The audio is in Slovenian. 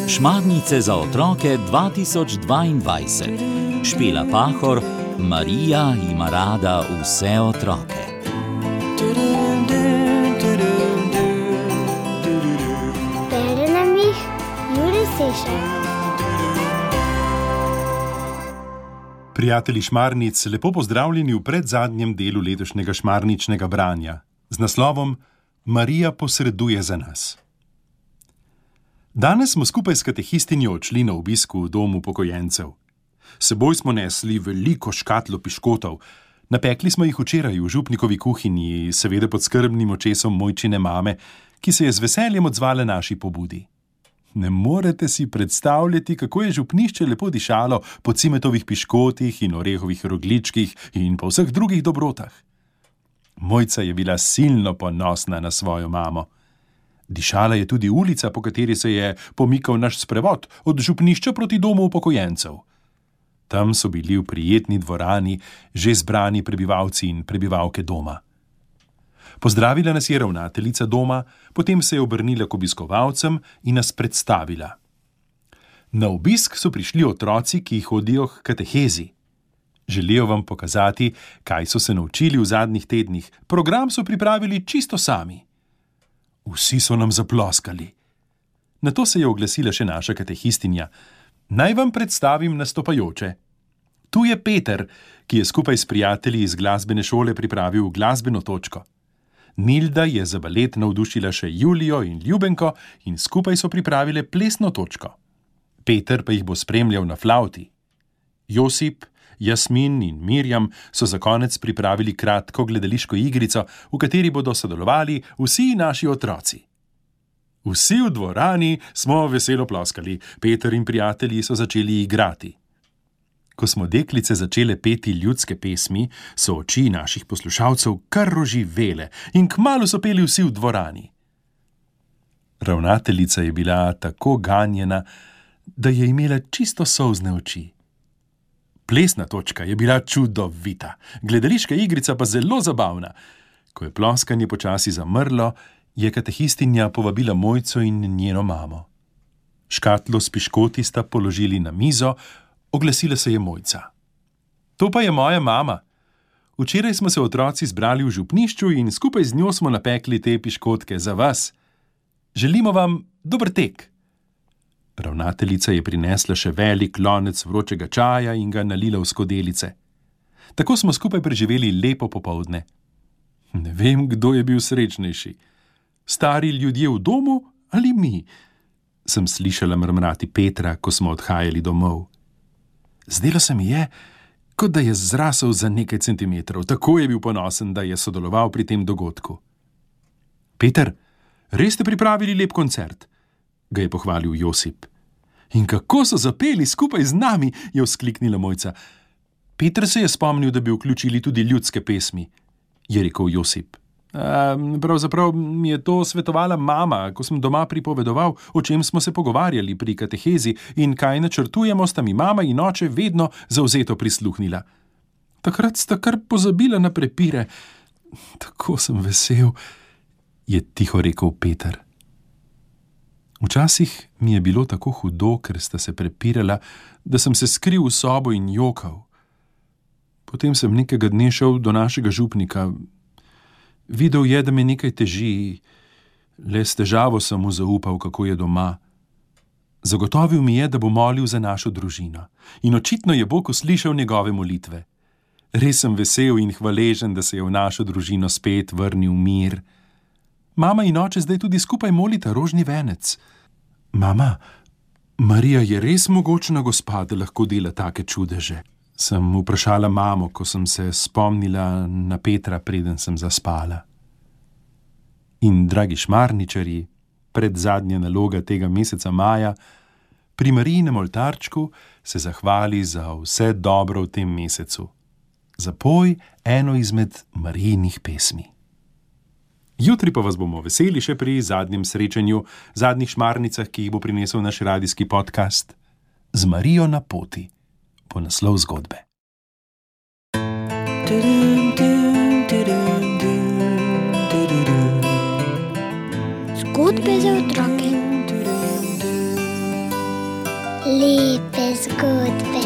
Šmarnice za otroke 2022. Špela Pahor, Marija ima rada vse otroke. Bere nam jih Jure Sešar. Prijatelji Šmarnic, lepo pozdravljeni v predzadnjem delu letošnjega šmarničnega branja z naslovom Marija posreduje za nas. Danes smo skupaj s katehistinjo odšli na obisk v domu upokojencev. S seboj smo nesli veliko škatlo piškotov. Napekli smo jih včeraj v župnikovi kuhinji, seveda pod skrbnim očesom mojčine mame, ki se je z veseljem odzvala naši pobudi. Ne morete si predstavljati, kako je župnišče lepo dišalo po cimetovih piškotih in orehovih rogličkih in po vseh drugih dobrotah. Mojca je bila silno ponosna na svojo mamo. Dišala je tudi ulica, po kateri se je pomikal naš sprevod od župnišča proti domu upokojencev. Tam so bili v prijetni dvorani že zbrani prebivalci in prebivalke doma. Pozdravila nas je ravnateljica doma, potem se je obrnila k obiskovalcem in nas predstavila. Na obisk so prišli otroci, ki hodijo k katehezi. Želijo vam pokazati, kaj so se naučili v zadnjih tednih. Program so pripravili čisto sami. Vsi so nam zaploskali. Nato se je oglasila še naša katehistinja. Naj vam predstavim nastopajoče. Tu je Peter, ki je skupaj s prijatelji iz glasbene šole pripravil glasbeno točko. Nilda je za balet navdušila še Julijo in Ljubenko in skupaj so pripravile plesno točko. Peter pa jih bo spremljal na flavti. Josip, Jasmin in Mirjam so za konec pripravili kratko gledališko igrico, v kateri bodo sodelovali vsi naši otroci. Vsi v dvorani smo veselo ploskali. Peter in prijatelji so začeli igrati. Ko smo deklice začele peti ljudske pesmi, so oči naših poslušalcev kar roživele in kmalu so peli vsi v dvorani. Ravnateljica je bila tako ganjena, da je imela čisto solzne oči. Plesna točka je bila čudovita, gledališka igrica pa zelo zabavna. Ko je ploskanje počasi zamrlo, je katehistinja povabila Mojco in njeno mamo. Škatlo s piškoti sta položili na mizo, oglasila se je Mojca. To pa je moja mama. Včeraj smo se otroci zbrali v župnišču in skupaj z njo smo napekli te piškotke za vas. Želimo vam dober tek. Ravnateljica je prinesla še velik lonec vročega čaja in ga nalila v skodelice. Tako smo skupaj preživeli lepo popoldne. Ne vem, kdo je bil srečnejši. Stari ljudje v domu ali mi? Sem slišala mrmrati Petra, ko smo odhajali domov. Zdelo se mi je, kot da je zrasel za nekaj centimetrov. Tako je bil ponosen, da je sodeloval pri tem dogodku. Peter, res ste pripravili lep koncert? Ga je pohvalil Josip. In kako so zapeli skupaj z nami, je vzkliknila Mojca. Peter se je spomnil, da bi vključili tudi ljudske pesmi, je rekel Josip. Pravzaprav mi je to svetovala mama, ko sem doma pripovedoval, o čem smo se pogovarjali pri katehezi in kaj načrtujemo, sta mi mama in oče vedno zavzeto prisluhnila. Takrat sta kar pozabila na prepire. Tako sem vesel, je tiho rekel Peter. Včasih mi je bilo tako hudo, ker sta se prepirala, da sem se skril v sobo in jokal. Potem sem nekega dne šel do našega župnika. Videl je, da me nekaj teži, le s težavo sem mu zaupal, kako je doma. Zagotovil mi je, da bo molil za našo družino in očitno je Bog uslišal njegove molitve. Res sem vesel in hvaležen, da se je v našo družino spet vrnil mir. Mama in oče zdaj tudi skupaj molita rožni venec. Mama, Marija je res mogočna gospa, da lahko dela take čudeže. Sem vprašala mamo, ko sem se spomnila na Petra, preden sem zaspala. In, dragi šmarničarji, predzadnja naloga tega meseca maja, pri Marijinem oltarčku se zahvali za vse dobro v tem mesecu. Zapoj eno izmed Marijinih pesmi. Jutri pa vas bomo veseli še pri zadnjem srečanju, zadnjih šmarnicah, ki jih bo prinesel naš radijski podcast Z Marijo na poti, po naslov zgodbe. Zgodbe za otroke. Lepe zgodbe.